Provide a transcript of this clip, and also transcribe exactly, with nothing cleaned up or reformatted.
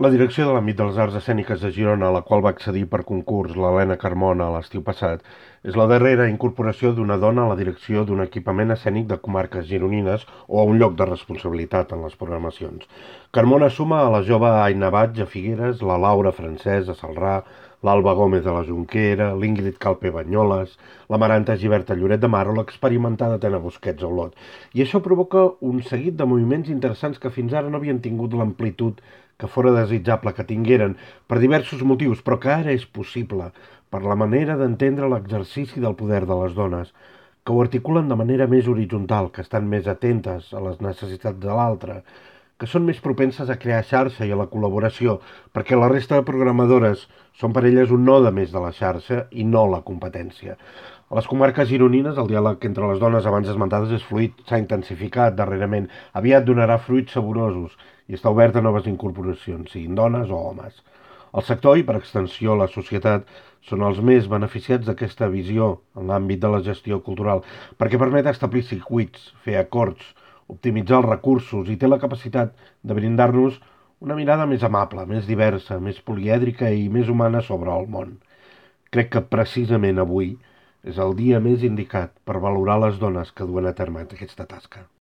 La direcció de l'àmbit de les arts escèniques de Girona, a la qual va accedir per concurs l'Helena Carmona l'estiu passat, és la darrera incorporació d'una dona a la direcció d'un equipament escènic de comarques gironines o a un lloc de responsabilitat en les programacions. Carmona suma a la jove Aina Batge a Figueres, la Laura Francès a Celrà, l'Alba Gómez a la Jonquera, l'Ingrid Calpe Banyoles, la Maranta Gibert a Lloret de Mar o l'experimentada Tena Busquets a Olot. I això provoca un seguit de moviments interessants que fins ara no havien tingut l'amplitud que fora desitjable que tingueren per diversos motius, però que ara és possible per la manera d'entendre l'exercici del poder de les dones, que ho articulen de manera més horitzontal, que estan més atentes a les necessitats de l'altre, que són més propenses a crear xarxa i a la col·laboració, perquè la resta de programadores són per elles un node més de la xarxa i no la competència. A les comarques gironines, el diàleg entre les dones abans esmentades és fluid, s'ha intensificat darrerament, aviat donarà fruits saborosos i està obert a noves incorporacions, siguin dones o homes. El sector i, per extensió, la societat són els més beneficiats d'aquesta visió en l'àmbit de la gestió cultural, perquè permet establir circuits, fer acords, optimitzar els recursos i té la capacitat de brindar-nos una mirada més amable, més diversa, més polièdrica i més humana sobre el món. Crec que precisament avui és el dia més indicat per valorar les dones que duen a terme aquesta tasca.